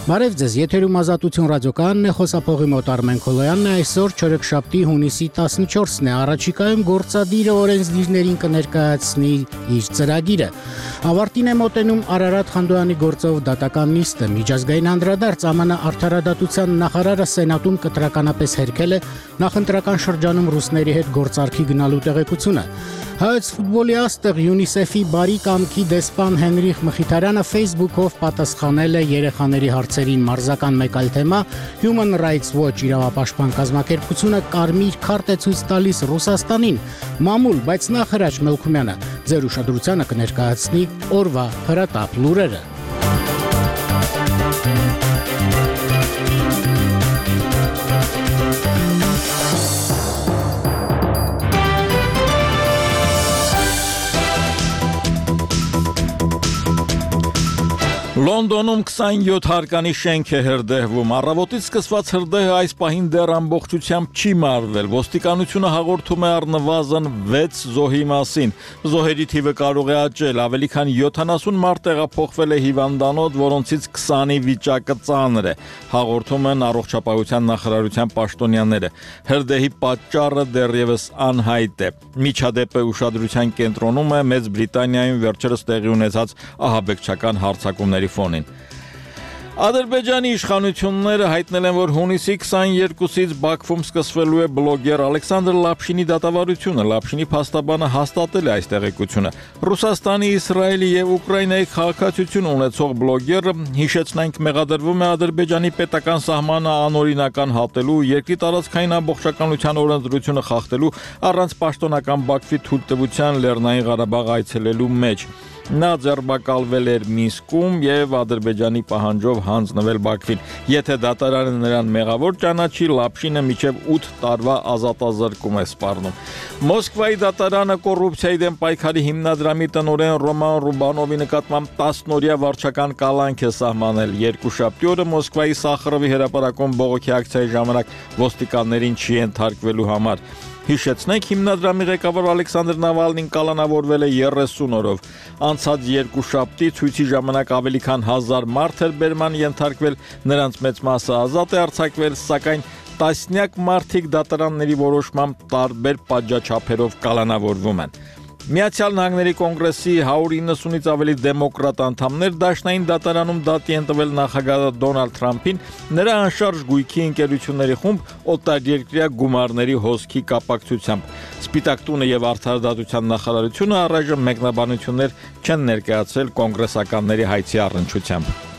Բարև ձեզ, եթերում Ազատություն ռադիոկայանն է, խոսափողի մոտ Արմեն Քոլոյանն է, այսօր չորեքշաբթի հունիսի 14-ն է, առաջիկայում գործադիրը օրենսդիրներին կներկայացնի իր ծրագիրը։ Ավարտին է մոտենում Արարատ Խանդոյանի գործով դատական նիստը, միջազգային անդրադարձ ԱՄՆ արդարադատության նախարարը Սենատում կտրականապես հերքել է նախընտրական շրջանում ռուսների հետ գործարքի գնալու տեղեկությունը։ Հայոց ֆուտբոլի աստղ ՅՈՒՆԻՍԵՖ-ի բարի կամքի դեսպան Հենրիխ Մխիթարյանը Facebook-ով պատասխանել է երեխաների հարցերին մարզական մեկ այլ թեմա, Human Rights Watch իրավապաշտպան կազմակերպությունը կարմիր քարտ է ցույց տալիս Ռուսաստանին, մամուլ, բայց նախ Հրաչ Մելքումյանը ձեր ուշադրությանը կներկայացնի օրվա հրատապ լուրերը։ Լոնդոնում 27 հարկանի շենք է հրդեհվում, առավոտից սկսված հրդեհը այս պահին դեռ ամբողջությամբ չի մարվել, ոստիկանությունը հաղորդում է առնվազն 6 զոհի մասին, զոհերի թիվը կարող է աճել, ավելի քան 70 մարդ տեղափոխվել է հիվանդանոց, որոնցից 20-ի վիճակը ծանր է, հաղորդում են առողջապահության նախարարության պաշտոնյաները, հրդեհի պատճառը դեռևս անհայտ է, միջադեպը ուշադրության կենտրոնում է Մեծ Բրիտանիայում վերջերս տեղի ունեցած ահաբեկչական հարձակումների ֆոնին։ Ադրբեջանի իշխանությունները հայտնել են, որ հունիսի 22-ից Բաքվում սկսվելու է բլոգեր Ալեքսանդր Լապշինի դատավարությունը։ Լապշինի փաստաբանը հաստատել է այս տեղեկությունը։ Ռուսաստանի, Իսրայելի եւ Ուկրաինայի քաղաքացիություն ունեցող բլոգերը, հիշեցնենք, մեղադրվում է Ադրբեջանի պետական սահմանը անօրինական հատելու, երկրի տարածքային ամբողջականության օրենսդրությունը խախտելու, առանց պաշտոնական Բաքվի թույլտվության Լեռնային Ղարաբաղ այցելելու մեջ։ Նա ձերբակալվել էր Մինսկում եւ Ադրբեջանի պահանջով հանձնվել Բաքվին։ Եթե դատարանը նրան մեղավոր ճանաչի, Լապշինը մինչև 8 տարվա ազատազրկում է սպառնում։ Մոսկվայի դատարանը կոռուպցիայի դեմ պայքարի հիմնադրամի տնօրեն Ռոման Ռուբանովի նկատմամբ 10-օրյա վարչական կալանք է սահմանել։ Երկուշաբթի օրը Մոսկվայի Սախարովի հրապարակում բողոքի ակցիայի ժամանակ ոստիկաններին չի ենթարկվելու համար։ Հիշեցնենք, հիմնադրամի ղեկավար Ալեքսանդր Նավալնին կալանավորվել է 30 օրով։ Անցած երկուշաբթի ցույցի ժամանակ ավելի քան 1000 մարդ էր բերման ենթարկվել, նրանց մեծ մասը ազատ է արձակվել, սակայն տասնյակ մարդիկ դատարանների որոշմամբ տարբեր պատժաչափերով կալանավորվում են։ Միացյալ Նահանգների կոնգրեսի 190-ից ավելի դեմոկրատ անդամներ դաշնային դատարանում դատի են տվել նախագահ Դոնալդ Թրամփին նրա անշարժ գույքի ընկերությունների խումբ օտարերկրյա գումարների հոսքի կապակցությամբ։ Սպիտակ տունը եւ արդարադատության նախարարությունը առայժմ մեկնաբանություններ չեն ներկայացրել կոնգրեսականների հայցի առնչությամբ։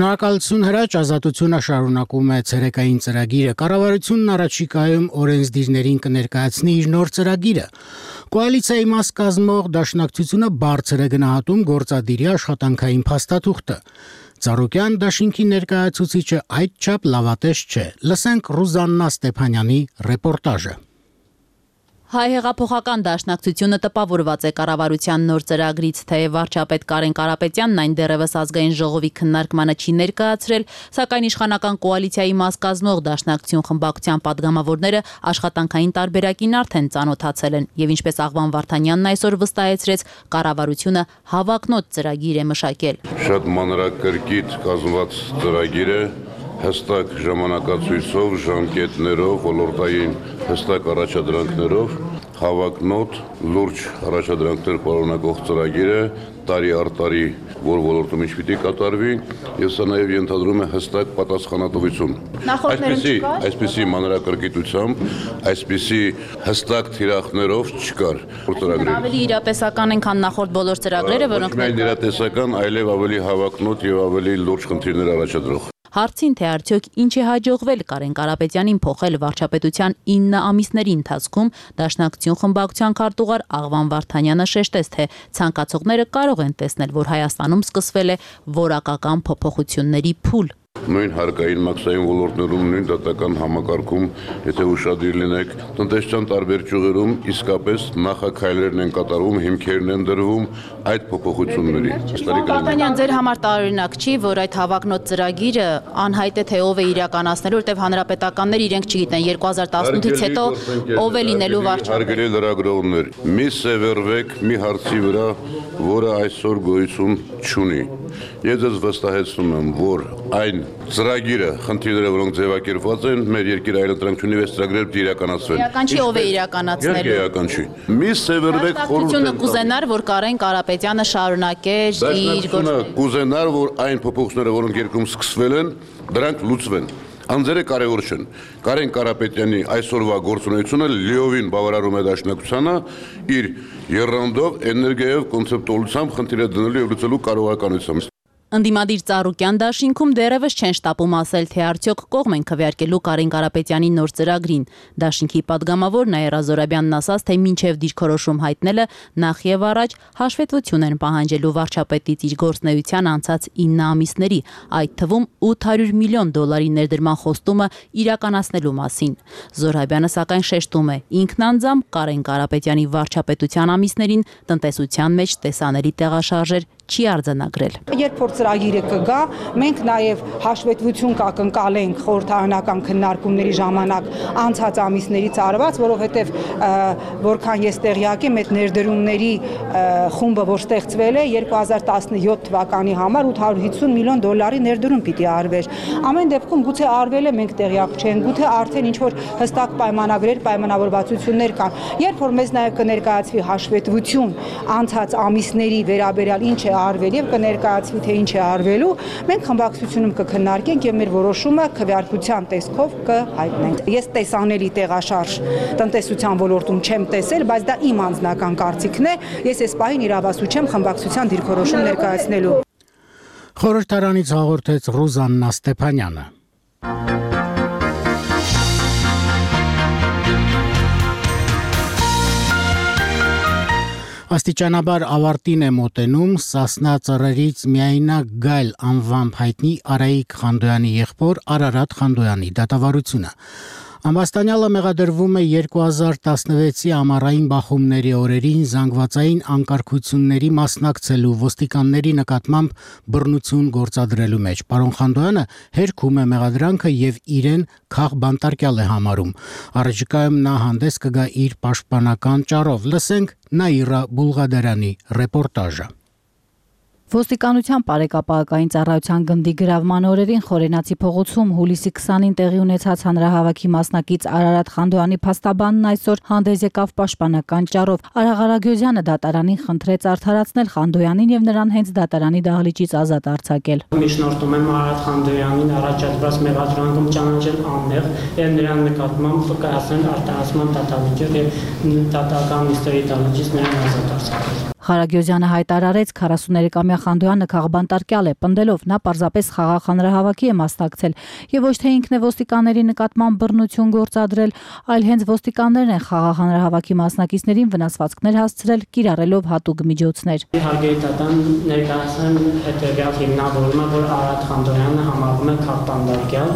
Շնորհակալություն Հրաչ, Ազատությունը շարունակում է ցերեկային ծրագիրը։ Կառավարությունն առաջիկայում օրենսդիրներին կներկայացնի իր նոր ծրագիրը։ Կոալիցիայի մաս կազմող դաշնակցությունը բարձր է գնահատում գործադիրի աշխատանքային փաստաթուղթը։ Ծառուկյան դաշինքի ներկայացուցիչը այդչափ լավատես չէ։ Լսենք Ռուզաննա Ստեփանյանի ռեպորտաժը։ Հայ հեղափոխական դաշնակցությունը տպավորված է կառավարության նոր ծրագրից, թեև վարչապետ Կարեն Կարապետյանն այն դեռևս ազգային ժողովի քննարկմանը չի ներկայացրել, սակայն իշխանական կոալիցիայի մաս կազմող դաշնակցություն խմբակցության падգամավորները աշխատանքային տարբերակին արդեն ծանոթացել են, եւ ինչպես Աղվան Վարդանյանն այսօր վստահեցրեց, կառավարությունը հավակնոտ ծրագիր է մշակել։ Շատ մանրակրկիտ կազմված ծրագիր է, հստակ ժամանակացույցով, ժամկետներով, ոլորտային հստակ առաջադրանքներով, հավակնոտ, լուրջ առաջադրանքներ պարունակող ծրագիր է, տարի առ տարի, որ ոլորտում ինչ պիտի կատարվի, եւ սա նաեւ ենթադրում է հստակ պատասխանատվություն։ Այսպիսի մանրակրկիտությամբ, այսպիսի հստակ թիրախներով չկար ծրագրի։ Ավելի իրատեսական են, քան նախորդ բոլոր ծրագրերը, որոնք իրատեսական, այլև ավելի հավակնոտ եւ ավելի լուրջ խնդիրներ առաջադրող։ Հարցին, թե արդյոք ինչ է հաջողվել Կարեն Կարապետյանին փոխել վարչապետության 9 ամիսների ընթացքում, Դաշնակցություն խմբակցության քարտուղար Աղվան Վարդանյանը շեշտեց, թե ցանկացողները կարող են տեսնել, որ Հայաստանում սկսվել է որակական փոփոխությունների փուլ։ Նույն հարկային մաքսային ոլորտներում, նույն դատական համակարգում, եթե ուշադիր լինեք, տնտեսության տարբեր ճյուղերում իսկապես նախաքայլերն են կատարվում, հիմքերն են դրվում այդ փոփոխությունների։ Վարդանյան, ձեր համար տարօրինակ չի, որ այդ հավակնոտ ծրագիրը անհայտ է, թե ով է իրականացնելու, որտեղ հանրապետականներ իրենք չգիտեն 2018-ից հետո ով է լինելու վարչապետ։ Հարգելի լրագրողներ, մի սևեռվեք մի հարցի վրա, որը այսօր գոյություն չունի։ Ես ձեզ վստահեցնում եմ, որ այն ծրագիրը, խնդիրները, որոնք ձևակերպված են, մեր երկիր այլընտրանքությունի վեց ծրագրերը իրականացվեն։ Իրական չի, ով է իրականացնելու։ Իրական չի։ Մի սևեռվեք խորհուրդ կուզենար, որ Կարեն Կարապետյանը շարունակեր իր գործը։ Կուզենար, որ այն փոփոխությունները, որոնք երկրում սկսվել են, դրանք լուծվեն։ Անձերը կարևոր չեն։ Կարեն Կարապետյանի այսօրվա գործունեությունը լիովին բավարարում է Դաշնակցությանը իր եռանդով, էներգիայով, կոնցեպտուալությամբ խնդիրը դնելու եւ լուծելու կարողականությամբ։ Ընդդիմադիր Ծառուկյան դաշինքում դեռևս չեն շտապում ասել, թե արդյոք կողմ են քվեարկելու Կարեն Կարապետյանի նոր ծրագրին։ Դաշինքի падգամավոր Նաիրա Զորաբյանն ասաց, թե մինչև դիրքորոշում հայտնելը նախ եւ առաջ հաշվետվություն են պահանջելու վարչապետից իր գործնեության անցած 9 ամիսների, այդ թվում $800 միլիոն ներդրման խոստումը իրականացնելու մասին։ Զորաբյանը սակայն շեշտում է, ինքն անձամբ Կարեն Կարապետյանի վարչապետության ամիսներին տնտեսության մեջ տեսանելի տեղաշարժեր չի արձանագրել։ Երբ որ ծրագիրը կգա, մենք նաև հաշվետվություն կակնկալենք խորհրդարանական քննարկումների ժամանակ անցած ամիսներից արված, որովհետև որքան ես տեղյակ եմ, այդ ներդրումների խումբը, որ ստեղծվել է 2017 թվականի համար $850 միլիոն ներդրում պիտի արվեր։ Ամեն դեպքում գուցե արվել է, մենք տեղյակ չենք, գուցե արդեն ինչ որ հստակ պայմանագրեր, պայմանավորվածություններ կան։ Երբ որ մեզ նաև կներկայացվի հաշվետվություն անցած ամիսների վերաբերյալ ինչ է արվել եւ կներկայացվի թե ինչ է արվելու, մենք խմբակցությունում կքննարկենք եւ մեր որոշումը քվեարկության տեսքով կհայտնենք։ Ես տեսանելի տեղաշարժ տնտեսության ոլորտում չեմ տեսել, բայց դա իմ անձնական կարծիքն է։ Ես այս պահին իրավասու չեմ խմբակցության դիրքորոշում ներկայացնելու։ Խորհրդարանից հաղորդեց Ռուզաննա Ստեփանյանը։ Աստիճանաբար ավարտին է մոտենում Սասնա ծռերից միայնակ Գայլ անվամբ հայտնի Արայիկ Խանդոյանի եղբոր Արարատ Խանդոյանի դատավարությունը։ Ամբաստանյալը մեղադրվում է 2016-ի ամառային բախումների օրերին զանգվածային անկարգությունների մասնակցելու ոստիկանների նկատմամբ բռնություն գործադրելու մեջ։ Պարոն Խանդոյանը հերքում է մեղադրանքը եւ իրեն քաղբանտարկյալ է համարում։ Առաջիկայում նա հանդես կգա իր պաշտպանական ճառով։ Լսենք Նաիրա Բուլղադարյանի ռեպորտաժը։ Ոստիկանության Պարեկապահական ծառայության գնդի գրավման օրերին Խորենացի փողոցում հուլիսի 20-ին տեղի ունեցած հանրահավաքի մասնակից Արարատ Խանդոյանի փաստաբանն այսօր հանդես եկավ պաշտպանական ճառով։ Արա Ղարագյոզյանը դատարանին խնդրեց արդարացնել Խանդոյանին եւ նրան հենց դատարանի դահլիճից ազատ արձակել։ Միջնորդում եմ Արարատ Խանդոյանին առաջադրված մեղադրանքում ճանաչել անմեղ եւ նրան նկատմամբ կայացնել արտահասման դատավիճ եւ դատական նիստերի դահլիճից նրան ազատ արձակել։ Ղարագյոզյանը հայտարարեց 43-ամյա Խանդոյանը քաղբանտարկյալ է, պնդելով նա պարզապես խաղաղ հանրահավաքի է մասնակցել եւ ոչ թե ինքն է ոստիկանների նկատմամբ բռնություն գործադրել, այլ հենց ոստիկաններն են խաղաղ հանրահավաքի մասնակիցներին վնասվածքներ հասցրել, կիրառելով հատուկ միջոցներ։ Հարգելի դատան ներկայացնեմ հետեւյալ հիմնավորումը, որ Արարատ Խանդոյանը համարվում է քաղբանտարկյալ,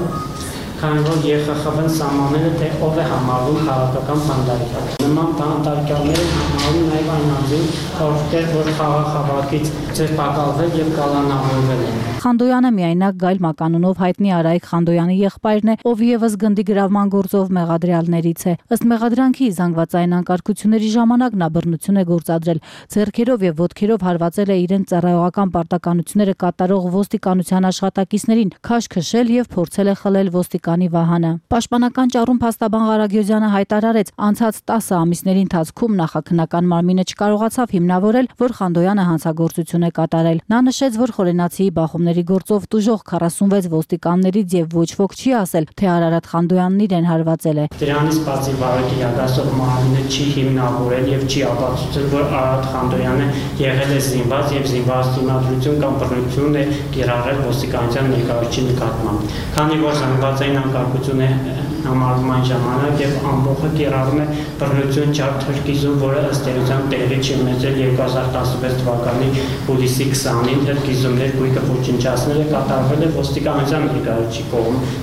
քանի որ ԵԽԽՎ-ն սահմանել է, թե ով է համարվում քաղաքական բանտարկյալ։ Նման բանտարկյալները համարվում նաև այն անձին, ովքեր որ խաղաղ հավաքից ձերբակալվել եւ կալանավորվել են։ Խանդոյանը միայնակ Գայլ մականունով հայտնի Արայիկ Խանդոյանի եղբայրն է, ով եւս գնդի գրավման գործով մեղադրյալներից է։ Ըստ մեղադրանքի զանգվածային անկարգությունների ժամանակ նա բռնություն է գործադրել, ձեռքերով եւ ոտքերով հարվածել է իրեն ծառայողական պարտականությունները կատարող ոստիկանության աշխատակիցներին, քաշ քշել եւ փորձել է խլել ոստիկանի վահանը։ Պաշտպանական ճառում փաստաբան Ղարագյոզյանը հայտարարեց, անցած 10 ամիսների ընթացքում նախաքննական Պետական մարմինը չկարողացավ հիմնավորել, որ Խանդոյանը հանցագործություն է կատարել։ Նա նշեց, որ Խորենացիի բախումների գործով տուժող 46 ոստիկաններից եւ ոչ ոք չի ասել, թե Արարատ Խանդոյանն իրեն հարվածել է։ Դրանից բացի բարոյի յագասող մարմինը չի հիմնավորել եւ չի ապացուցել, որ Արարատ Խանդոյանը եղել է զինված եւ զինված դիմադրություն կամ բռնություն է կիրառել ոստիկանության ներկայացուցիչի նկատմամբ։ Քանի որ զանգվածային անկարգություն է համարվում այն ժամանակ եւ ամբողջը կիրառում է բռնություն չափ թրկիզում, որը ըստ էության տեղի չի ունեցել 2016 թվականի հուլիսի 20-ին թրկիզումներ գույքը ոչնչացնել է կատարվել է ոստիկանության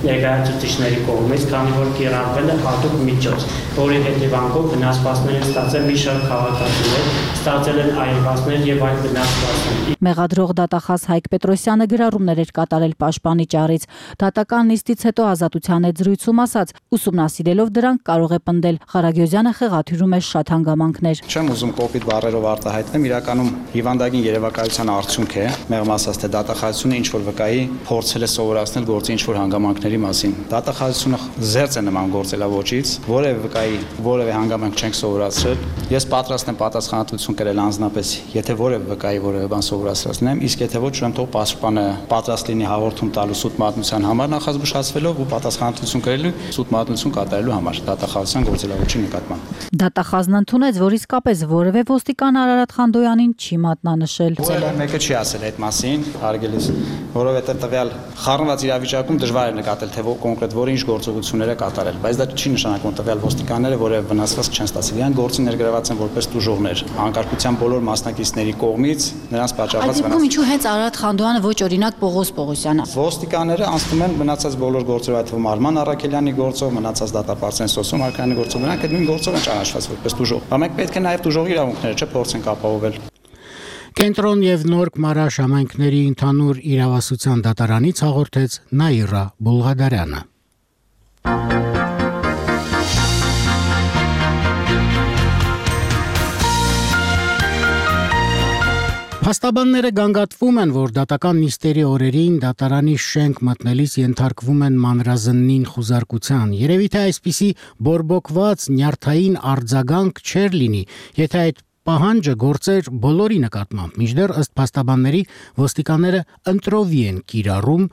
ներկայացուցիչների կողմից, քանի որ կիրառվել է հատուկ միջոց, որի հետևանքով վնասվածքներ են ստացել մի շարք քաղաքացիներ, ստացել են այրվածքներ եւ այլ վնասվածքներ։ Մեղադրող դատախազ Հայկ Պետրոսյանը գրառումներ էր կատարել պաշտպանի ճառից։ Դատական նիստից հետո ազատության հետ զրույցում ասաց, ուսումնասիրելով դրանք կարող է պնդել։ Ղարագյոզյանը խեղաթյուրում է շատ հանգամանքներ։ Չեմ ուզում կոպիտ բառերով արտահայտեմ, իրականում հիվանդագին երևակայության արդյունք է, մեղմ ասած թե դատախազությունը ինչ որ վկայի փորձել է սովորացնել գործի ինչ որ հանգամանքների մասին։ Դատախազությունը զերծ է նման գործելավոճից, որևէ վկայի որևէ հանգամանք չենք սովորացրել։ Ես պատրաստ եմ պատասխանատվություն կրել անձնապես, եթե որևէ վկայի որևէ բան սովորացրել, իսկ եթե ոչ, ուրեմն թող պաշտպանը պատրաստ լինի հաղորդում տալու սուտ մատնության համար նախազգուշացվելով ու պատասխանատվություն կրելու սուտ մատնություն կատարելու համար դատախազության գործելավոճի նկատմամբ։ Դատախազն ընդունեց, որ իսկապես որևէ ոստիկան Արարատ Խանդոյանին չի մատնանշել։ Մեկը չի ասել այդ մասին, հարգելիս, որովհետև տվյալ խառնված իրավիճակում դժվար է նկատել, թե կոնկրետ որը ինչ գործողություններ է կատարել, բայց դա չի նշանակում տվյալ ոստիկանները որևէ վնասվածք չեն ստացել։ Իրենք գործին ներգրաված են որպես տուժողներ, անկարգության բոլոր մասնակիցների կողմից նրանց պատճառված վնաս։ Ինչու հենց Արարատ Խանդոյանը ոչ օրինակ Պողոս Պողոսյանը։ Ոստիկանները անցնում են մնացած բոլոր գործով, այդ թվում Արման Առաքելյանի գործով, մնացած դատապարտության Սոսոմ Արքայանի գործով, նրանք այդ նույն գործով են ճանաչված որպես տուժող։ Բայց մենք պետք է նաև տուժողի իրավունքները չփորձենք ապահովել։ Կենտրոն եւ Նորք Մարաշ համայնքների ընդհանուր իրավասության դատարանից հաղորդեց Նաիրա Բուլղադարյանը։ Փաստաբանները գանգատվում են, որ դատական նիստերի օրերին դատարանի շենք մտնելիս ենթարկվում են մանրազննին խուզարկության։ Երևի թե այսպիսի բորբոքված նյարդային արձագանք չէր լինի, եթե այդ պահանջը գործեր բոլորի նկատմամբ։ Մինչդեռ ըստ փաստաբանների ոստիկանները ընտրովի են կիրառում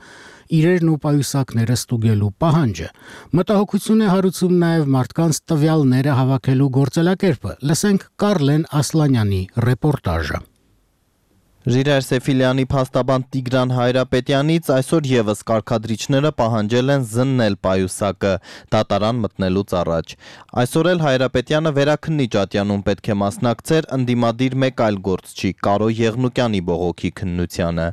իրերն ու պայուսակները ստուգելու պահանջը։ Մտահոգություն է հարուցում նաև մարդկանց տվյալները հավաքելու գործելակերպը։ Լսենք Կարլեն Ասլանյանի ռեպորտաժը։ Ժիրայր Սեֆիլյանի փաստաբան Տիգրան Հայրապետյանից այսօր եւս կարգադրիչները պահանջել են զննել պայուսակը դատարան մտնելուց առաջ։ Այսօր էլ Հայրապետյանը վերաքննիչ ատյանում պետք է մասնակցեր ընդդիմադիր մեկ այլ գործչի Կարո Եղնուկյանի բողոքի քննությանը,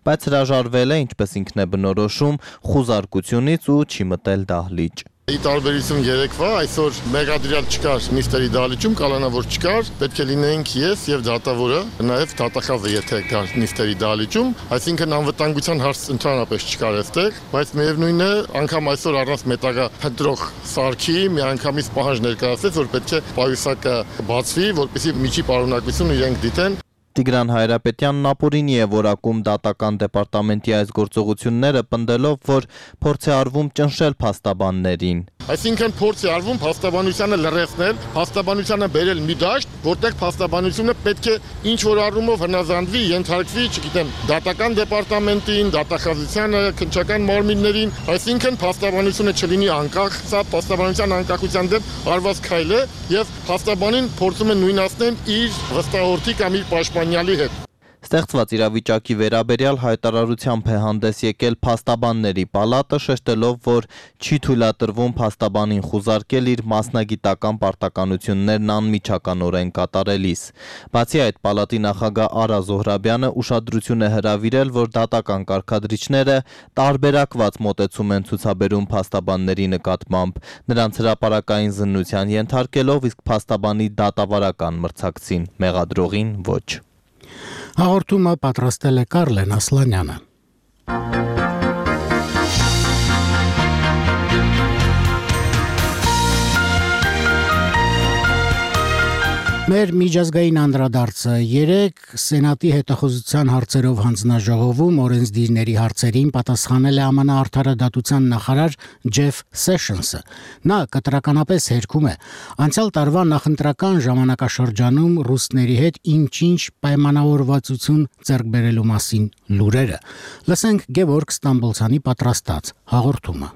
բայց հրաժարվել է, ինչպես ինքն է բնորոշում, խուզարկությունից ու չի մտել դահլիճ։ Ի տարբերություն երեկվա, այսօր մեղադրյալ չկար նիստերի դահլիճում, կանոնավոր որ չկար, պետք է լինեինք ես եւ դատավորը, նաեւ դատախազը, եթե կար նիստերի դահլիճում, այսինքն անվտանգության հարց ընդհանրապես չկար այստեղ, բայց միևնույնն է, անգամ այսօր առանց մետաղա փնտրող սարքի միանգամից պահանջ ներկայացրեց, որ պետք է պայուսակը բացվի, որպեսզի միջի պարունակություն իրենք դիտեն։ Տիգրան Հայրապետյանն ապօրինի է որակում դատական դեպարտամենտի այս գործողությունները, պնդելով, որ փորձ է արվում ճնշել փաստաբաններին։ Այսինքն փորձ է արվում փաստաբանությանը լրացնել, փաստաբանությանը բերել մի դաշտ, որտեղ փաստաբանությունը պետք է ինչ որ առումով հնազանդվի, ենթարկվի, չգիտեմ, դատական դեպարտամենտին, դատախազությանը, քննչական մարմիններին, այսինքն փաստաբանությունը չլինի անկախ, սա փաստաբանության անկախության դեմ արված քայլ է եւ փաստաբանին փորձում են նույնացնել իր վստահորդի կամ իր պաշտպանյալի հետ։ Ստեղծված իրավիճակի վերաբերյալ հայտարարությամբ է հանդես եկել փաստաբանների պալատը, շեշտելով, որ չի թույլատրվում փաստաբանին խուզարկել իր մասնագիտական պարտականություններն անմիջականորեն կատարելիս։ Բացի այդ, պալատի նախագահ Արա Զոհրաբյանը ուշադրություն է հրավիրել, որ դատական կարգադրիչները տարբերակված մոտեցում են ցուցաբերում փաստաբանների նկատմամբ, նրանց հրապարակային զննության ենթարկելով, իսկ փաստաբանի դատավարական մրցակցին, մեղադրողին ոչ։ Հաղորդումը պատրաստել է Կարլեն Ասլանյանը։ Մեր միջազգային անդրադարձը 3 Սենատի հետախուզության հարցերով հանձնաժողովում օրենսդիրների հարցերին պատասխանել է ԱՄՆ արդարադատության նախարար Ջեֆ Սեշնսը։ Նա կտրականապես հերքում է անցյալ տարվա նախընտրական ժամանակաշրջանում ռուսների հետ ինչ-ինչ պայմանավորվածություն ձեռք բերելու մասին լուրերը։ Լսենք Գևորգ Ստամբոլցյանի պատրաստած հաղորդումը։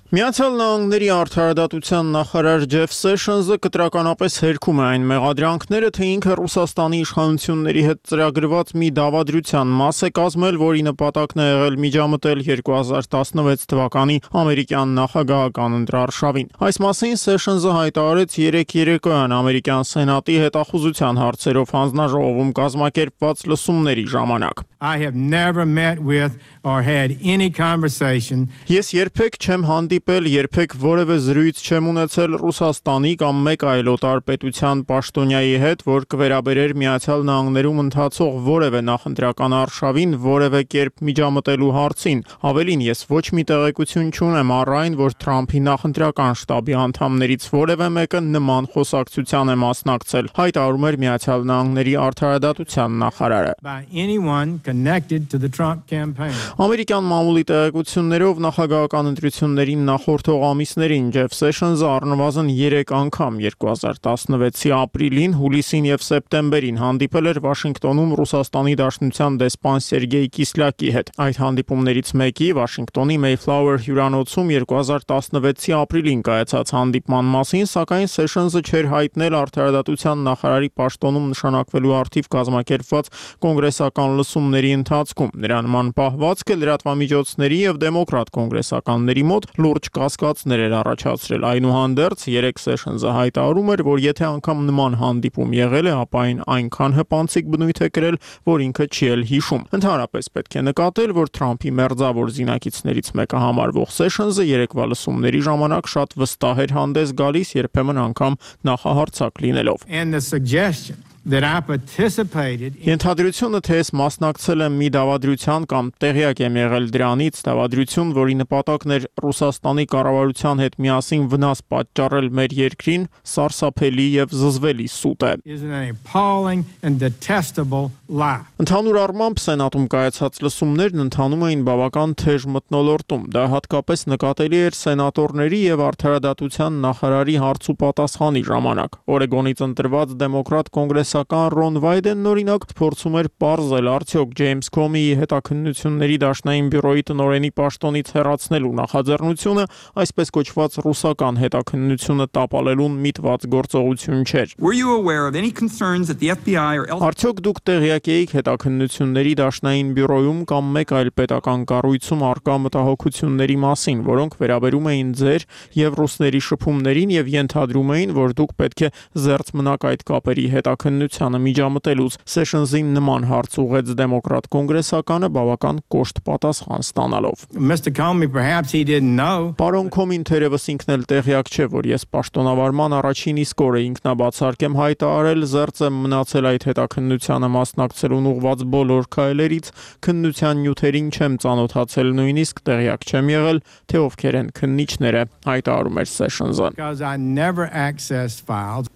Միացյալ Նահանգների արդարադատության նախարար Ջեֆ Սեշնսը կտրականապես հերքում է այն մեղադրանքները, թե ինքը Ռուսաստանի իշխանությունների հետ ծրագրված մի դավադրության մաս է կազմել, որի նպատակն է եղել միջամտել 2016 թվականի ամերիկյան նախագահական ընտրարշավին։ Այս մասին Սեշնսը հայտարարեց երեկոյան ամերիկյան Սենատի հետախուզության հարցերով հանձնաժողովում կազմակերպված լսումների ժամանակ։ I have never met with or had any conversation. Ես երբեք չեմ հանդիպել, երբեք որևէ զրույց չեմ ունեցել Ռուսաստանի կամ մեկ այլ օտար պետության պաշտոնյայի հետ, որ կվերաբերեր Միացյալ Նահանգներում ընթացող որևէ նախընտրական արշավին, որևէ կերպ միջամտելու հարցին։ Ավելին, ես ոչ մի տեղեկություն չունեմ առ այն, որ Թրամփի նախընտրական շտաբի անդամներից որևէ մեկը նման խոսակցության է մասնակցել, հայտարարում էր Միացյալ Նահանգների արդարադատության նախարարը։ By anyone connected to the Trump campaign. Ամերիկյան մամուլի տեղեկություններով նախագահական ընտրություններին նախորդող ամիսներին Ջեֆ Սեշնսը առնվազն 3 անգամ 2016-ի ապրիլին, հուլիսին եւ սեպտեմբերին հանդիպել էր Վաշինգտոնում Ռուսաստանի Դաշնության դեսպան Սերգեյ Կիսլյակի հետ։ Այդ հանդիպումներից մեկի Վաշինգտոնի Mayflower հյուրանոցում 2016-ի ապրիլին կայացած հանդիպման մասին, սակայն Սեշնսը չէր հայտնել արդարադատության նախարարի պաշտոնում նշանակվելու առթիվ կազմակերպված կոնգրեսական լսումների ընթացքում։ Նրա նման պահվածքը լրատվամիջոցների եւ դեմոկրատ կոնգրեսականների մոտ լուրջ կասկածներ էր առաջացրել։ Այնուհանդերձ 3 Սեշնսը հայտարարում էր, որ եթե անգամ նման հանդիպում եղել է, ապա այն այնքան հպանցիկ բնույթ է կրել, որ ինքը չի էլ հիշում։ Ընդհանրապես պետք է նկատել, որ Թրամփի մերձավոր զինակիցներից մեկը համարվող Սեշնսը երեկվա լսումների ժամանակ շատ վստահ էր հանդես գալիս, երբեմն անգամ նախահարցակ լինելով։ And the suggestion that I participated in Ենթադրությունը, թե ես մասնակցել եմ մի դավադրության կամ տեղյակ եմ եղել դրանից, դավադրություն, որի նպատակն էր Ռուսաստանի կառավարության հետ միասին վնաս պատճառել մեր երկրին, սարսափելի եւ զզվելի սուտ է։ is an appalling and detestable lie. Ընդհանուր առմամբ Սենատում կայացած լսումներն ընթանում էին բավական թեժ մթնոլորտում։ Դա հատկապես նկատելի էր սենատորների եւ արդարադատության նախարարի հարց ու պատասխանի ժամանակ։ Օրեգոնից ընտրված դեմոկրատ կոնգրեսական Ռոն Վայդենն օրինակ փորձում էր պարզել արդյոք Ջեյմս Քոմիի հետաքննությունների դաշնային բյուրոյի տնօրենի պաշտոնից հեռացնելու նախաձեռնությունը այսպես կոչված ռուսական հետաքննությունը տապալելուն միտված գործողություն չէր։ Were you aware of any concerns that the FBI or Արդյոք դուք տեղյակ եք հետաքննությունների դաշնային բյուրոյում կամ մեկ այլ պետական կառույցում արկա մտահոգությունների մասին, որոնք վերաբերում էին ձեր եւ ռուսների շփումներին եւ ենթադրում էին, որ դուք պետք է զերծ մնաք այդ կապերի հետաքննությանը միջամտելուց։ Սեշնսին նման հարց ուղեց դեմոկրատ կոնգրեսականը բավական կոշտ պատասխան ստանալով։ Mr. Comey, perhaps he didn't know. Պարոն Քոմին թերևս ինքն էլ տեղյակ չէ, որ ես պաշտոնավարման առաջին իսկ օրը ինքնաբացարկ եմ հայտարարել, զերծ եմ մնացել այդ հետաքննությանը մասնակցելուն ուղված բոլոր քայլերից, քննության նյութերին չեմ ծանոթացել, նույնիսկ տեղյակ չեմ եղել, թե ովքեր են քննիչները, հայտարարում էր Սեշնսը։ Because I never accessed files.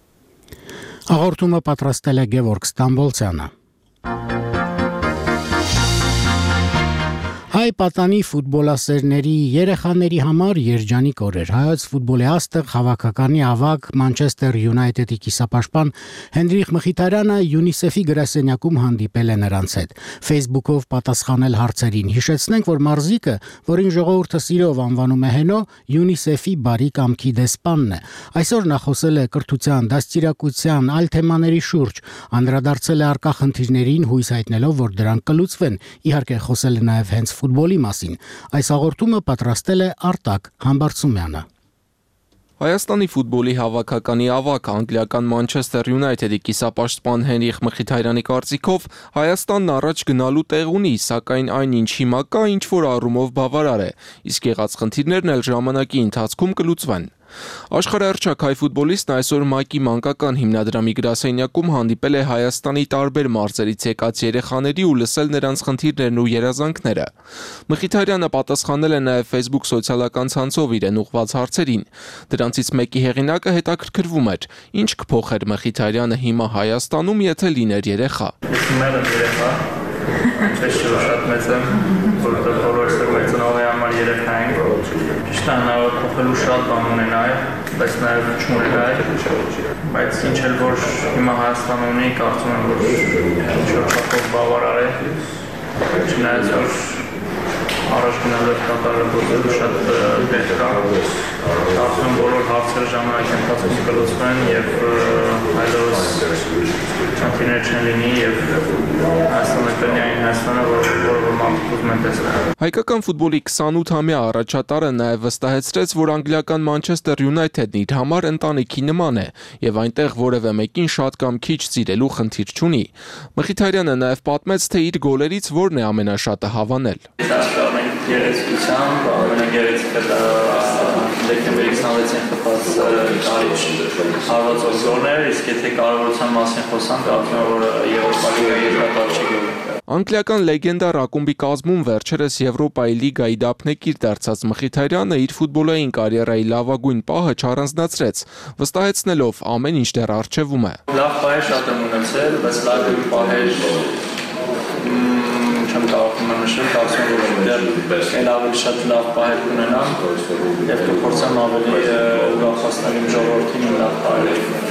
Հաղորդումը պատրաստել է Գևորգ Ստամբոլցյանը։ Հայ պատանի ֆուտբոլասերների երեխաների համար երջանիկ օրեր։ Հայոց ֆուտբոլի աստղ հավաքականի ավագ Մանչեսթեր Յունայթեդի կիսապաշտպան Հենրիխ Մխիթարյանը ՅՈՒՆԻՍԵՖ-ի գրասենյակում հանդիպել է նրանց հետ։ Facebook-ով պատասխանել հարցերին։ Հիշեցնենք, որ մարզիկը, որին ժողովուրդը սիրով անվանում է Հենո, ՅՈՒՆԻՍԵՖ-ի բարի կամքի դեսպանն է։ Այսօր նա խոսել է կրթության, դաստիարակության, այլ թեմաների շուրջ, անդրադարձել է առկա խնդիրներին, հույս հայտնելով, որ դրանք կլուծվեն։ Իհարկե խոսել է նաև հենց ֆուտբոլի մասին։ Այս հաղորդումը պատրաստել է Արտակ Համբարձումյանը։ Հայաստանի ֆուտբոլի հավաքականի ավագ անգլիական Մանչեսթեր Յունայթեդի կիսապաշտպան Հենրիխ Մխիթարյանի կարծիքով Հայաստանն առաջ գնալու տեղ ունի, սակայն այն ինչ հիմա կա, ինչ որ առումով բավարար է, իսկ եղած խնդիրներն էլ ժամանակի ընթացքում կլուծվեն։ Աշխարհահռչակ հայ ֆուտբոլիստն այսօր ՄԱԿ-ի մանկական հիմնադրամի գրասենյակում հանդիպել է Հայաստանի տարբեր մարզերից եկած երեխաների ու լսել նրանց խնդիրներն ու երազանքները։ Մխիթարյանը պատասխանել է նաև Facebook սոցիալական ցանցով իրեն ուղղված հարցերին։ Դրանցից մեկի հեղինակը հետաքրքրվում էր, ինչ կփոխեր Մխիթարյանը հիմա Հայաստանում, եթե լիներ երեխա։ Ինչպես շատ մեծ եմ, որտեղ բոլորս մեր ծնողների համար երեխա ենք, ճիշտ է հնարավոր փոխելու շատ բան ունենալ, բայց նաև չունենալ, բայց ինչ էլ որ հիմա Հայաստանում ունի, կարծում եմ, որ ինչ-որ չափով բավարար է, չնայած որ առաջ գնալով կատարել գործելու շատ դեր կա, կարծում եմ բոլոր հարցերը ժամանակի ընթացքում կլուծվեն և այլևս խնդիրներ չեն լինի և Հայաստանը կլինի այն Հայաստանը, որը մարդիկ ուզում են տեսնել։ Հայկական ֆուտբոլի 28-ամյա առաջատարը նաև վստահեցրեց, որ անգլիական Manchester United-ն իր համար ընտանիքի նման է և այնտեղ որևէ մեկին շատ կամ քիչ սիրելու խնդիր չունի։ Մխիթարյանը նաև պատմեց, թե իր գոլերից որն է ամենաշատը հավանել։ Գեղեցկությամբ, ամենագեղեցիկը դեկտեմբերի 26-ին խփած կարիճ հարվածով գոլներ, իսկ եթե կարևորության մասին խոսանք, կարծում եմ, որ Եվրոպա լիգայի երկրորդ գոլը։ Անգլիական լեգենդար ակումբի կազմում վերջերս Եվրոպայի լիգայի դափնեկիր դարձած Մխիթարյանը իր ֆուտբոլային կարիերայի լավագույն պահը չառանձնացրեց, վստահեցնելով ամեն ինչ դեռ առջևում է։ Լավ պահեր շատ եմ ունեցել, բայց լավ պահեր չեմ կարող նշել, կարծում եմ, որ դեռ ավելի շատ լավ պահեր կունենամ և կփորձեմ ավելի ուրախացնել իմ ժողովրդին իմ լավ պահերով։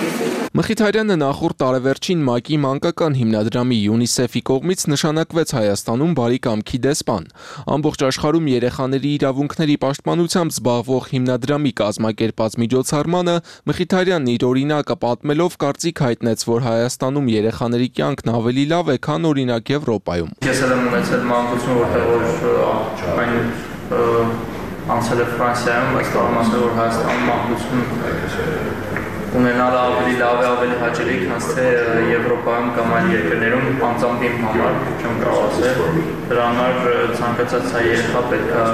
Մխիթարյանը նախորդ տարեվերջին ՄԱԿ-ի մանկական հիմնադրամի UNICEF-ի կողմից նշանակվեց Հայաստանում բարի կամքի դեսպան։ Ամբողջ աշխարհում երեխաների իրավունքների պաշտպանությամբ զբաղվող հիմնադրամի կազմակերպած միջոցառմանը Մխիթարյանն իր օրինակը պատմելով կարծիք հայտնեց, որ Հայաստանում երեխաների կյանքն ավելի լավ է, քան օրինակ Եվրոպայում։ Ես էլ եմ ունեցել մանկություն, որտեղ այն անցել է Ֆրանսիայում, բայց կարող եմ ասել, որ Հայաստանում մանկություն ունենալը ավելի լավ է, ավելի հաճելի, քան թե Եվրոպայում կամ այլ երկրներում, անձամբ իմ համար, չեմ կարող ասել, դրա համար ցանկացած հայ երեխա պետք է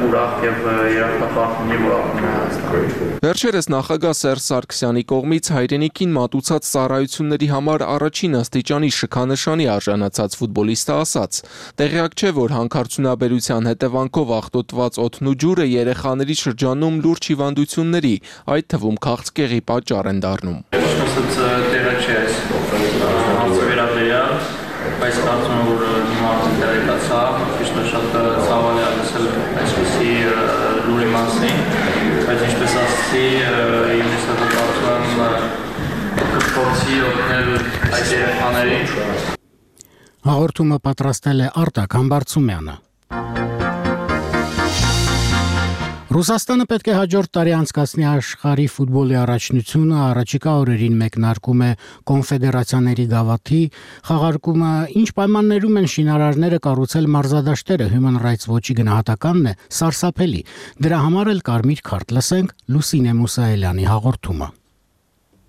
ուրախ եւ երախտապարտ լինի, որ ապրում է Հայաստանում։ Վերջերս նախագահ Սերժ Սարգսյանի կողմից հայրենիքին մատուցած ծառայությունների համար առաջին աստիճանի շքանշանի արժանացած ֆուտբոլիստը ասաց. տեղյակ չէ, որ հանքարդյունաբերության հետևանքով աղտոտված օդն ու ջուրը երեխաների շրջանում լուրջ հիվանդությունների, այդ թվում քաղցկեղի պատճառ են դառնում։ Տեղը չէ այս հարցը վերաբերյալ, բայց կարծում եմ, որ հիմա արդեն տեղեկացա, ճիշտ է շատ ցավալի է լսել այսպիսի լուրի մասին, բայց ինչպես ասացի, ինձ կարծում եմ կփորձի օգնել այդ երեխաներին։ Հաղորդումը պատրաստել է Արտակ Համբարձումյանը։ Ռուսաստանը պետք է հաջորդ տարի անցկացնի աշխարհի ֆուտբոլի առաջնությունը, առաջիկա օրերին մեկնարկում է կոնֆեդերացիաների գավաթի խաղարկումը, ինչ պայմաններում են շինարարները կառուցել մարզադաշտերը, Human Rights Watch-ի գնահատականն է սարսափելի։ Դրա համար էլ կարմիր քարտ լսենք Լուսինե Մուսայելյանի հաղորդումը։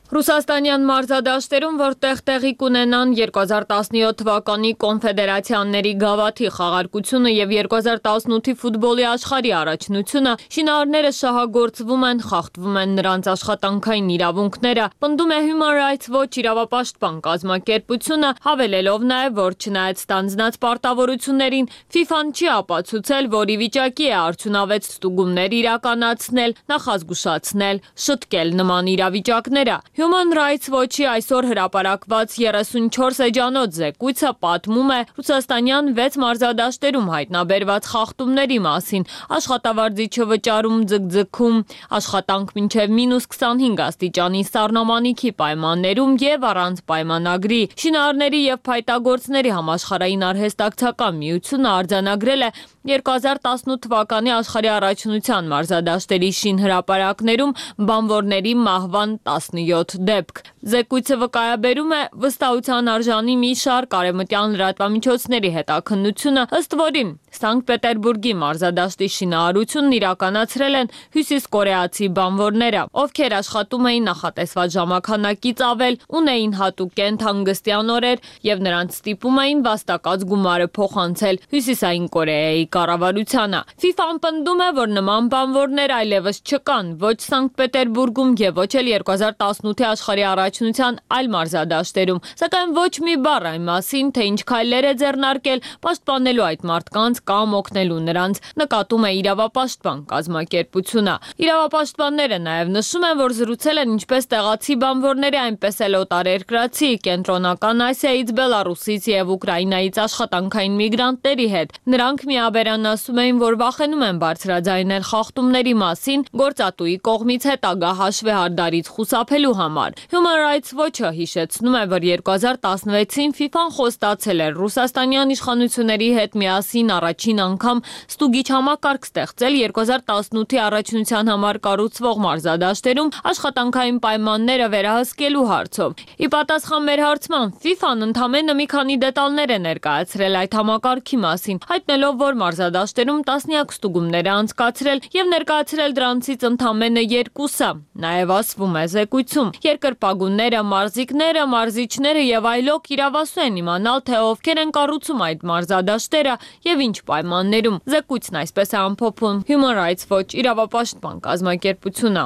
Ռուսաստանյան մարզադաշտերում, որտեղ տեղի կունենան 2017 թվականի կոնֆեդերացիաների գավաթի խաղարկությունը եւ 2018-ի ֆուտբոլի աշխարհի առաջնությունը, շինարարները շահագործվում են, խախտվում են նրանց աշխատանքային իրավունքները, պնդում է Human Rights Watch իրավապաշտպան կազմակերպությունը, հավելելով նաեւ, որ չնայած ստանձնած պարտավորություններին, FIFA-ն չի ապացուցել, որ ի վիճակի է արդյունավետ ստուգումներ իրականացնել, նախազգուշացնել, շտկել նման իրավիճակները։ Human Rights Watch-ի այսօր հրապարակված 34 էջանոց զեկույցը պատմում է ռուսաստանյան 6 մարզադաշտերում հայտնաբերված խախտումների մասին, աշխատավարձի չվճարում, ձգձգում, աշխատանք մինչև -25 աստիճանի սառնամանիքի պայմաններում եւ առանց պայմանագրի։ Շինարարների եւ փայտագործների համաշխարհային արհեստակցական միությունը արձանագրել է 2018 թվականի աշխարհի առաջնության մարզադաշտերի շինհրապարակներում բանվորների մահվան 17 7 դեպք։ Զեկույցը վկայաբերում է վստահության արժանի մի շարք արևմտյան լրատվամիջոցների հետաքննությունը, ըստ որին Սանկտ Պետերբուրգի մարզադաշտի շինարարությունն իրականացրել են հյուսիսկորեացի բանվորները, ովքեր աշխատում էին նախատեսված ժամանակից ավել, ունեին հատուկ կենթանգստյան օրեր եւ նրանց ստիպում էին վաստակած գումարը փոխանցել Հյուսիսային Կորեայի կառավարությանը։ FIFA-ն պնդում է, որ նման բանվորներ այլևս չկան ոչ Սանկտ Պետերբուրգում եւ ոչ էլ 2018-ի աշխարհի առաջնության այլ մարզադաշտերում, սակայն ոչ մի բառ այն մասին, թե ինչ քայլեր է ձեռնարկել պաշտպանելու այդ մարդկանց կամ օգնելու նրանց, նկատում է իրավապաշտպան կազմակերպությունը։ Իրավապաշտպանները նաև նշում են, որ զրուցել են ինչպես տեղացի բանվորների, այնպես էլ օտարերկրացի, Կենտրոնական Ասիայից, Բելարուսից եւ Ուկրաինայից աշխատանքային միգրանտների հետ։ Նրանք միաբերան ասում էին, որ վախենում են բարձրաձայնել խախտումների մասին գործատուի կողմից հետագա հաշվեհարդարից խուսափելու համար։ Human Rights Watch-ը հիշեցնում է, որ 2016-ին FIFA-ն խոստացել էր ռուսաստանյան իշխանությունների հետ միասին առաջին անգամ ստուգիչ համակարգ ստեղծել 2018-ի առաջնության համար կառուցվող մարզադաշտերում աշխատանքային պայմանները վերահսկելու հարցով։ Ի պատասխան մեր հարցման, FIFA-ն ընդամենը մի քանի դետալներ է ներկայացրել այդ համակարգի մասին, հայտնելով, որ մարզադաշտերում տասնյակ ստուգումներ է անցկացրել եւ ներկայացրել դրանցից ընդամենը 2-ը։ Նաեւ ասվում է զեկույցում, երկրպագունները, մարզիկները, մարզիչները եւ այլոք իրավասու են իմանալ, թե ովքեր են կառուցում այդ մարզադաշտերը եւ ինչ պայմաններում։ Զեկույցն այսպես է ամփոփում Human Rights Watch իրավապաշտպան կազմակերպությունը։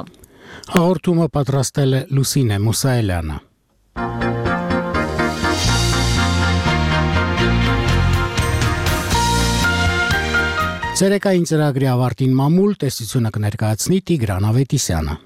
Հաղորդումը պատրաստել է Լուսինե Մուսայելյանը։ Ցերեկային ծրագրի ավարտին մամուլ տեսությունը կներկայացնի Տիգրան Ավետիսյանը։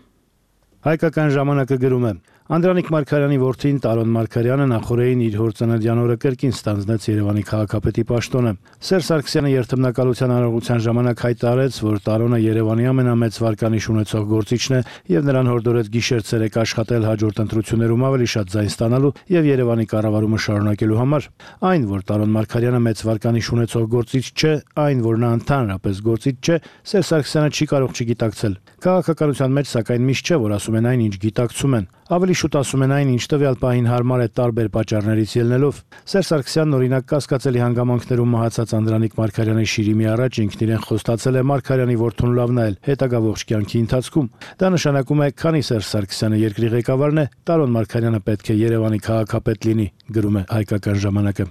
Հայկական ժամանակը գրում է. Անդրանիկ Մարգարյանի որդին Տարոն Մարգարյանը նախորդին իր հոր ծննդյան օրը կրկին ստանձնեց Երևանի քաղաքապետի պաշտոնը։ Սերժ Սարգսյանը երթմնակալության արարողության ժամանակ հայտարարեց, որ Տարոնը Երևանի ամենամեծ վարկանիշ ունեցող գործիչն է եւ նրան հորդորեց գիշեր-ցերեկ աշխատել հաջորդ ընտրություններում ավելի շատ ձայն ստանալու եւ Երևանի կառավարումը շարունակելու համար։ Այն, որ Տարոն Մարգարյանը մեծ վարկանիշ ունեցող գործիչ չէ, այն, որ նա ընդհանրապես գործիչ չէ, Սերժ Սարգսյանը չի կարող չգիտակցել։ Քաղաքականության մեջ սակայն միշտ չէ, որ ասում են այն, ինչ գիտակցում են։ Ավելի շուտ ասում են այն, ինչ տվյալ պահին հարմար է տարբեր պատճառներից ելնելով։ Սերժ Սարգսյանն օրինակ կասկածելի հանգամանքներում մահացած Անդրանիկ Մարգարյանի շիրիմի առաջ ինքն իրեն խոստացել է Մարգարյանի որդուն լավ նայել հետագա ողջ կյանքի ընթացքում։ Դա նշանակում է, քանի Սերժ Սարգսյանը երկրի ղեկավարն է, Տարոն Մարգարյանը պետք է Երևանի քաղաքապետ լինի, գրում է Հայկական ժամանակը։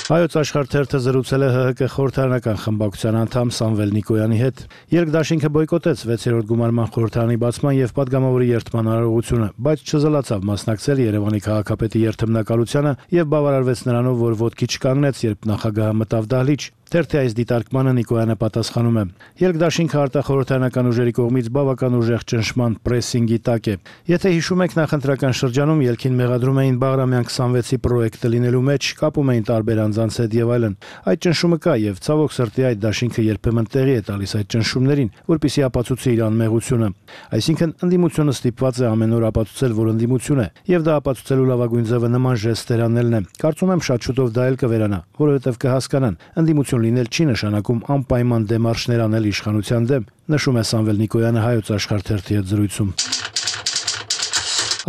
Հայոց աշխարհ թերթը զրուցել է ՀՀԿ խորհրդարանական խմբակցության անդամ Սամվել Նիկոյանի հետ։ Երկդաշինքը բոյկոտեց 6-րդ գումարման խորհրդարանի բացման եւ падգամավորի երթման արարողությունը, բայց չզլացավ մասնակցել Երևանի քաղաքապետի երթմնակալությանը եւ բավարարվեց նրանով, որ ոտքի չկանգնեց, երբ նախագահը մտավ դահլիճ։ Թերթի այս դիտարկմանը Նիկոյանը պատասխանում է. Երկդաշինքը արտախորհրդարանական ուժերի կողմից բավական ուժեղ ճնշման պրեսինգի տակ է։ Եթե հիշում եք, նախընտրական շրջանում ելքին մեղադրում էին Բաղրամյան 26-ի պրոյեկտը լինելու մեջ, կապում էին տարբեր անձանց հետ եւ այլն։ Այդ ճնշումը կա եւ ցավոք սրտի այդ դաշինքը երբեմն տեղի է տալիս այդ ճնշումներին, որպեսզի ապացուցի իր անմեղությունը։ Այսինքն ընդդիմությունը ստիպված է ամեն օր ապացուցել, որ ընդդիմություն է, եւ դա ապացուցելու լավագույն ձևը նման ժեստեր անելն է։ Կարծում եմ շատ շուտով դա էլ կվերանա, որովհետեւ կհասկանան, ընդդիմություն լինել չի նշանակում անպայման դեմարշներ անել իշխանության դեմ, նշում է Սամվել Նիկոյանը Հայոց աշխարհ թերթի հետ զրույցում։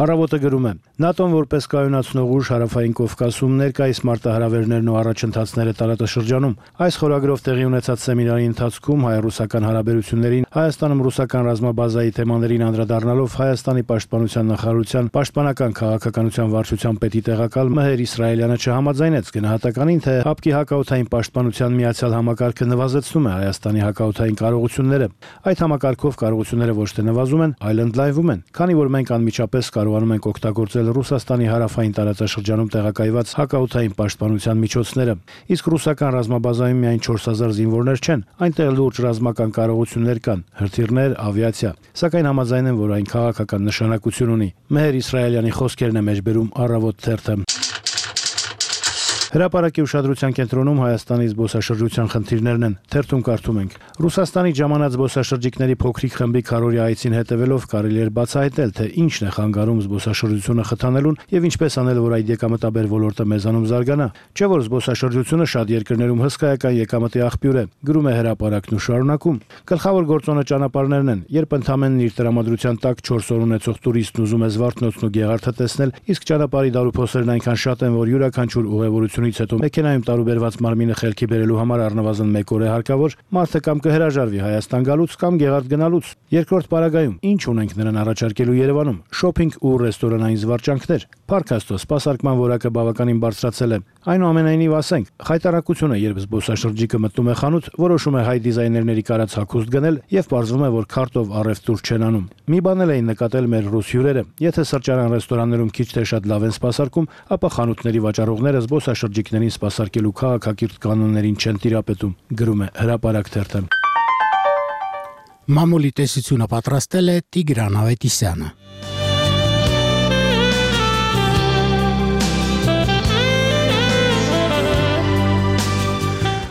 Առավոտը գրում է. ՆԱՏՕ-ն որպես կայունացնող ուժ հարավային Կովկասում ներկայիս մարտահրավերներն ու առաջընթացները տարածաշրջանում։ Այս խորագրով տեղի ունեցած սեմինարի ընթացքում հայ-ռուսական հարաբերություններին, Հայաստանում ռուսական ռազմաբազայի թեմաներին անդրադառնալով Հայաստանի պաշտպանության նախարարության պաշտպանական քաղաքականության վարչության պետի տեղակալ Մհեր Իսրայելյանը չհամաձայնեց գնահատականին, թե ՀԱՊԿ-ի հակաօդային պաշտպանության միացյալ համակարգը նվազեցնում է Հայաստանի հակաօդային կարողությունները։ Այդ համակարգով կարողությունները ոչ թե նվազում են, այլ ընդլայնվում են, քանի որ մենք անմիջապես կարողանում ենք օգտագործել Ռուսաստանի հարավային տարածաշրջանում տեղակայված հակաօդային պաշտպանության միջոցները։ Իսկ ռուսական ռազմաբազայում միայն 4000 զինվորներ չեն, այնտեղ լուրջ ռազմական կարողություններ կան, հրթիռներ, ավիացիա։ Սակայն համաձայն են, որ այն քաղաքական նշանակություն ունի։ Մհեր Իսրայելյանի խոսքերն է մեջբերում Առավոտ թերթը։ Հրապարակի ուշադրության կենտրոնում Հայաստանի զբոսաշրջության խնդիրներն են։ Թերթում կարդում ենք. Ռուսաստանի ժամանած զբոսաշրջիկների փոքրիկ խմբի քարորի այցին հետևելով կարելի էր բացահայտել, թե ինչն է խանգարում զբոսաշրջությունը խթանելուն եւ ինչպես անել, որ այդ եկամտաբեր ոլորտը մեզանում զարգանա։ Չէ՞ որ զբոսաշրջությունը շատ երկրներում հսկայական եկամտի աղբյուր է, գրում է հրապարակն ու շարունակում։ Գլխավոր գործոնը ճանապարհներն են, երբ ընդամենն իր տրամադրության տակ 4 օր ունեցող տուրիստն ուզում է Զվարթնոցն ու Գեղարդը տեսնել, իսկ ճանապարհի դարուփոսերն այնքան շատ են, որ յուրաքանչյուր ուղևորությունից հետո մեքենայում տարուբերված մարմինը խելքի բերելու համար առնվազն 1 օր է հարկավոր, մարդը կամ կհրաժարվի Հայաստան գալուց կամ Գեղարդ գնալուց։ Երկրորդ պարագայում ինչ ունենք նրան առաջարկելու Երևանում՝ շոփինգ ու ռեստորանային զվարճանքներ։ Փառք Աստծո, սպասարկման որակը բավականին բարձրացել է։ Այնուամենայնիվ ասենք, խայտարակությունը, երբ զբոսաշրջիկը մտնում է խանութ, որոշում է հայ դիզայներների կարած հագուստ գնել եւ պարզվում է, որ քարտով առևտուր չեն անում։ Մի բան էլ էին նկատել մեր ռուս հյուրերը, եթե սրճարան ռեստորաններում քիչ թե շատ լավ են սպասարկում, ապա խանութների վաճառողները զբոսաշրջիկներին սպասարկելու քաղաքակիրթ կանոններին չեն տիրապետում, գրում է Հրապարակ թերթը։ Մամուլի տեսությունը պատրաստել է Տիգրան Ավետիսյանը։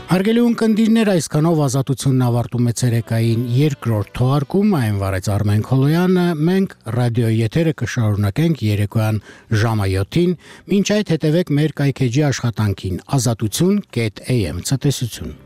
Հարգելի ունկնդիրներ, այսքանով ազատությունն ավարտում է ցերեկային երկրորդ թողարկում, այն վարեց Արմեն Քոլոյանը, մենք ռադիոյի եթերը կշարունակենք երեկոյան ժամը 7-ին, մինչ այդ հետևեք մեր կայքեջի աշխատանքին azatutun.am ցտեսություն։